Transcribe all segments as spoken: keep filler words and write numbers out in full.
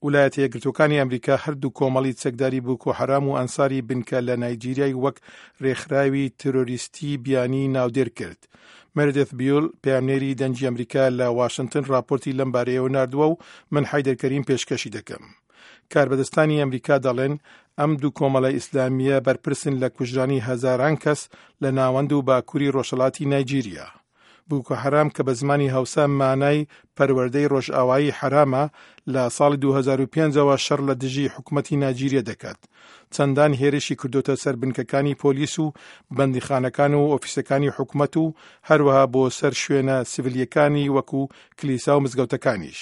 ولایەتە یەکگرتووەکانی ئەمریکا هەردوو کۆمەڵی چەکداری بوکۆ حەرام و ئەنساری بنکە لە نایجیریای وەک رێکخراوی تیرۆریستی بیانی ناودێر کرد. مێردث بیول، پەیامنێری دەنگی ئەمریکا لە واشنگتن، راپۆرتی لەم بارەیەوە ناردووە و من حەیدەر کەریم پێشکەشی دەکەم. کاربەدەستانی ئەمریکا دەڵێن ئەم دوو کۆمەڵە ئیسلامیە بەرپرسن لە کوژرانی هەزاران کەس لە ناوەند و باکووری ڕۆژهەڵاتی نایجیریا. بوکۆ حەرام کە بە زمانی هەوسا مانای پەروەردەی ڕۆژئاوایی حەرامە، لە ساڵی دوو هەزار و پێنج ەوە شەڕ لە دژی حکوومەتی نایجیریا دەکات. چەندان هێرشی کردوتە سەر بنکەکانی پۆلیس و بەندیخانەکان و ئۆفیسەکانی حکوومەت و هەروەها بۆ سەر شوێنە سیڤیلیەکانی وەکو کلیسا و مزگەوتەکانیش.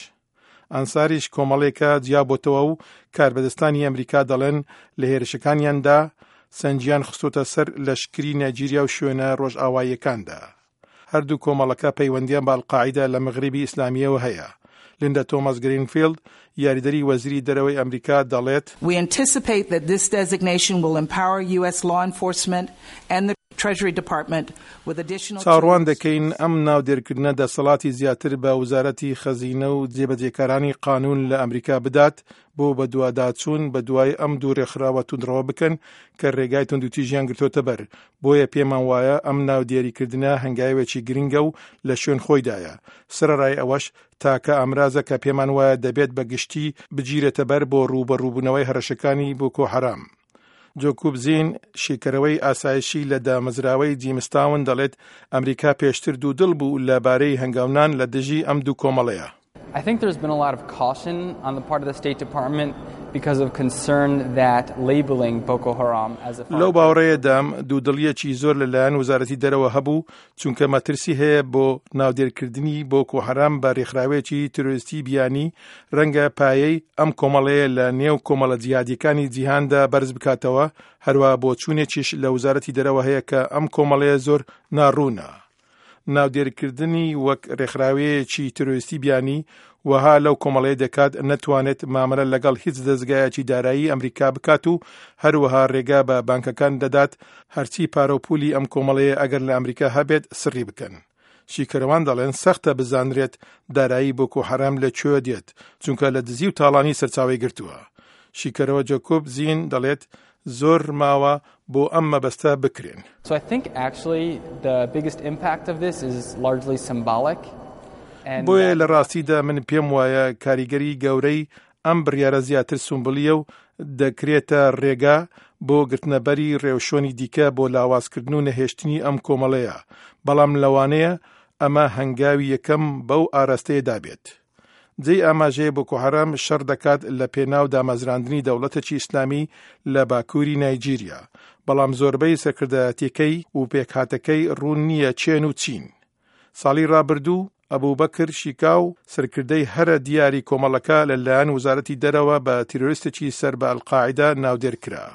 ئەنساریش کۆمەڵێکە جیابۆتەوە و کاربەدەستانی ئەمریکا دەڵێن لە هێرشەکانیاندا سەنجیان خستۆتە سەر لەشکری نایجیریا و شوێنە ڕۆژئاواییەکاندا. هەردوو کۆمەڵەکە پەیوەندیان بە ئەلقاعیدە لە مەغریبی ئیسلامیەوە هەیە. لیندا تۆماس گرینفیلد، یاریدەری وەزیری دەرەوەی ئەمریکا، دەڵێت: We anticipate that this designation will empower U S law enforcement and the Treasury Department with additional چاوەڕوان دەکەین ئەم ناودێرکردنە دەسەڵاتی زیاتر بە وەزارەتی خەزینە و جێبەجێکارانی قانون لە ئەمریکا بدات بۆ بەدواداچوون بە دوای ئەم دوو ڕێکخراوە توندڕەوە بکەن کە ڕێگای توندوتیژیان گرتۆتە بەر. بۆیە پێمان وایە ئەم ناودێریکردنە هەنگاوێکی گرنگە و لە شوێن خۆیدایە. سەرەڕای ئەوەش، تاکە ئامرازە کە پێمان وایە دەبێت بە گشتی بگیرێتە بەر بۆ ڕووبەڕووبوونەوەی هەڕەشەکانی بۆکۆ حەرام. جۆکوب زین، شیکەرەوەی ئاسایشی لە دامەزراوەی جیمستاون، دەڵێت ئەمریکا پێشتر دوودڵ بوو لەبارەی هەنگاونان لە دژی ئەم دوو کۆمەڵەیە. I think there's been a lot of caution on the part of the State Department because of concern that labeling Boko Haram as a لەو باوەڕەیەدام دوودڵیەکی زۆر لەلایەن وەزارەتی دەرەوە هەبوو، چونکە مەترسی هەیە بۆ ناودێرکردنی بۆکۆ حەرام بە ڕێکخراوێکی تیرۆریستی بیانی ڕەنگە پایەی ئەم کۆمەڵەیە لە نێو کۆمەڵە جیهادیەکانی جیهاندا بەرز بکاتەوە. هەروەها بۆچوونێکیش لە وەزارەتی دەرەوە هەیە کە ئەم کۆمەڵەیە زۆر ناڕوونە. ناودێرکردنی وەک ڕێکخراوەیەکی تیرۆریستی بیانی وەها لەو کۆمەڵەیە دەکات نەتوانێت مامەلە لەگەڵ هیچ دەزگایەکی دارایی ئەمریکا بکات و هەروەها ڕێگا بە بانکەکان دەدات هەرچی پارە و پولی ئەم کۆمەڵەیە ئەگەر لە ئەمریکا هەبێت سڕی بکەن. شیکەرەوان دەڵێن سەختە بزانرێت دارایی بۆکۆ حەرام لە کوێ دێت، چونکە لە دزی و تاڵانی سەرچاوی گرتووە. شیکەرەوە جەکۆب زین دەڵێت زۆر ماوە بۆ ئەم مەبەستە بکرێن. So I think actually the biggest impact of this is largely symbolic. بۆیە لە ڕاستیدا من پێم وایە کاریگەری گەورەی ئەم بڕیارە زیاتر سومبلیە و دەکرێتە ڕێگا بۆ گرتنەبەری ڕێوشوێنی دیکە بۆ لاوازکردن و نەهێشتنی ئەم کۆمەڵەیە، بەڵام لەوانەیە ئەمە هەنگاوی یەکەم بەو ئاراستەیەدا بێت. جێی ئاماژەیە بۆکۆ حەرام شەڕ دەکات لە پێناو دامەزراندنی دەوڵەتێکی ئیسلامی لە باکووری نایجیریا، بەڵام زۆربەی سەرکردایەتیەکەی و پێکهاتەکەی ڕوون نییە کێن و چین. ساڵی ڕابردوو ئەبوبەکر شیکاو، سەرکردەی هەرە دیاری کۆمەڵەکە، لەلایەن وەزارەتی دەرەوە بە تیرۆریستێکی سەر بە ئەلقاعیدە ناودێر کرا.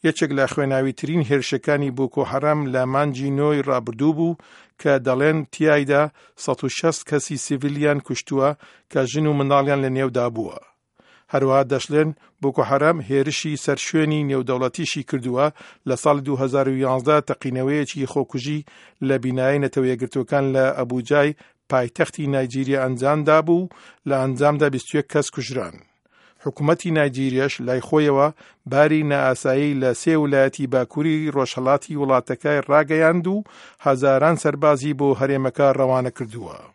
یەکێک لە خوێناویترین هێرشەکانی بۆکۆ حەرام لە مانگی نۆی ڕابردوو بوو کە دەڵێن تیایدا سەد و شەست کەسی سیڤیلیان کوشتووە کە ژن و منداڵیان لە نێودا بووە. هەروەها دەشڵێن بۆکۆ حەرام هێرشی سەر شوێنی نێودەوڵەتیشی کردووە. لە ساڵی دوو هەزار و یازدە تەقینەوەیەکی خۆکوژی لە بینایەی نەتەوە یەکگرتووەکان لە ئەبوجای پایتەختی نایجیریا ئەنجامدا بوو، لە ئەنجامدا بیست و یەک کەس کوژران. حکوومەتی نایجیریاش لای خۆیەوە باری نائاسایی لە سێ ولایەتی باکووری ڕۆژهەڵاتی وڵاتەکەی ڕاگەیاند و هەزاران سەربازی بۆ هەرێمەکە ڕەوانە کردووە.